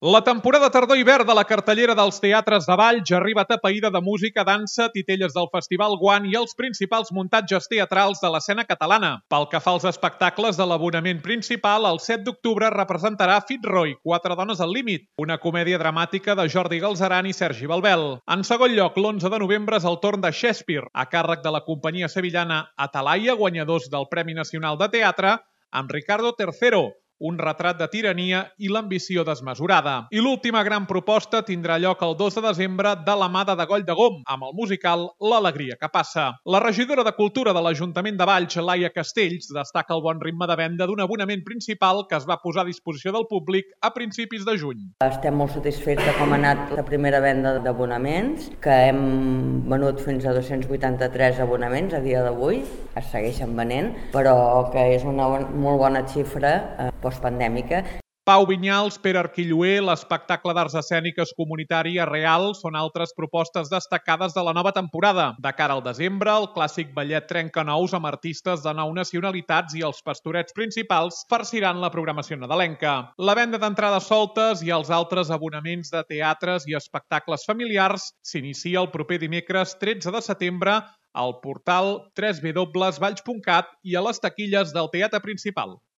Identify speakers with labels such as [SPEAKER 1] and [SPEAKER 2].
[SPEAKER 1] La temporada tardor-hivern de la cartellera dels teatres de Valls arriba atapeïda de música, dansa, titelles del Festival Guant i els principals muntatges teatrals de l'escena catalana. Pel que fa als espectacles de l'abonament principal, el 7 d'octubre representarà Fitzroy, 4 dones al límit, una comèdia dramàtica de Jordi Galzeran i Sergi Balbel. En segon lloc, l'11 de novembre és el torn de Shakespeare, a càrrec de la companyia sevillana Atalaya, guanyadors del Premi Nacional de Teatre, amb Ricardo III, un retrat de tirania i l'ambició desmesurada. I l'última gran proposta tindrà lloc el 2 de desembre de la mà de Degoll de Gom, amb el musical L'alegria que passa. La regidora de Cultura de l'Ajuntament de Valls, Laia Castells, destaca el bon ritme de venda d'un abonament principal que es va posar a disposició del públic a principis de juny.
[SPEAKER 2] Estem molt satisfets de com ha anat la primera venda d'abonaments, que hem venut fins a 283 abonaments a dia d'avui, es segueixen venent, però que és una molt bona xifra postpandèmica.
[SPEAKER 1] Pau Vinyals, Pere Arquilloé, l'espectacle d'arts escèniques comunitari Real són altres propostes destacades de la nova temporada. De cara al desembre, el clàssic ballet Trencanous amb artistes de 9 nacionalitats i els pastorets principals farciran la programació nadalenca. La venda d'entrades soltes i els altres abonaments de teatres i espectacles familiars s'inicia el proper dimecres 13 de setembre al portal www.valls.cat i a les taquilles del Teatre Principal.